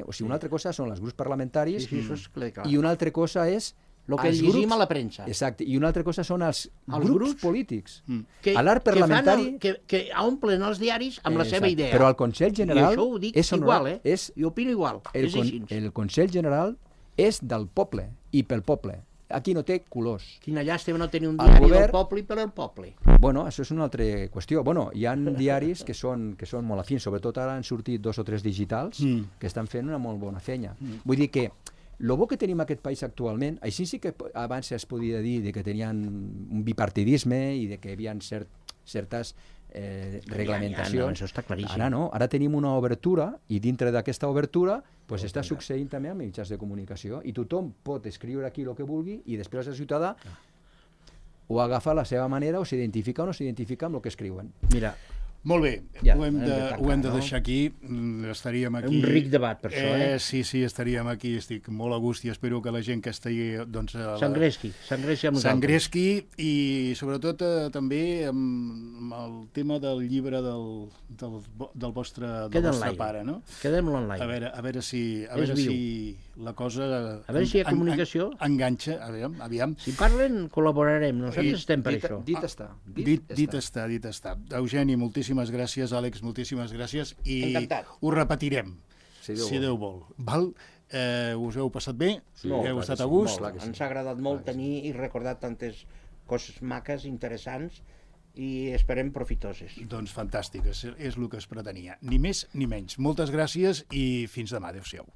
o sigui, una altra cosa són els grups parlamentaris Sí, això és clar. i una altra cosa és el que llegim a la premsa. Exacte, i una altra cosa són els grups polítics. Que, A l'art parlamentari... que omplen els diaris amb la seva idea. Però el Consell General... I això ho dic és igual, jo opino igual, és així. El Consell General és del poble i pel poble. Aquí no té colors. Quina llàstima no tenir un diari del poble i per al poble. Bueno, això és una altra qüestió. Bueno, hi ha diaris que són molt afins, sobretot ara han sortit 2 o 3 digitals que estan fent una molt bona feina. Vull dir que el bo que tenim en aquest país actualment, així sí que abans es podia dir que tenien un bipartidisme i que hi havia certes reglamentacions. Això està claríssim. Ara no, ara tenim una obertura i dintre d'aquesta obertura està succeint també amb mitjans de comunicació i tothom pot escriure aquí el que vulgui i després el ciutadà ho agafa a la seva manera o s'identifica o no s'identifica amb el que escriuen. Mira, molt bé, ja, ho hem de deixar aquí, estaríem aquí... Un ric debat, per això, Sí, estaríem aquí, estic molt a gust i espero que la gent que estigui... s'engresqui amb nosaltres. S'engresqui i sobretot també amb el tema del llibre del vostre pare, no? Quedem-lo en l'aire. A veure si la cosa... A veure si hi ha comunicació. Enganxa, aviam. Si parlen, col·laborarem, nosaltres estem per això. Dit està. Eugeni, moltíssimes gràcies, Àlex, moltíssimes gràcies, i encantat. Ho repetirem, si Déu vol. Val? Us heu passat bé? Heu estat a gust? Ens ha agradat molt tenir i recordar tantes coses maques, interessants, i esperem profitoses. Doncs fantàstic, és el que es pretenia. Ni més ni menys. Moltes gràcies i fins demà. Adéu-siau.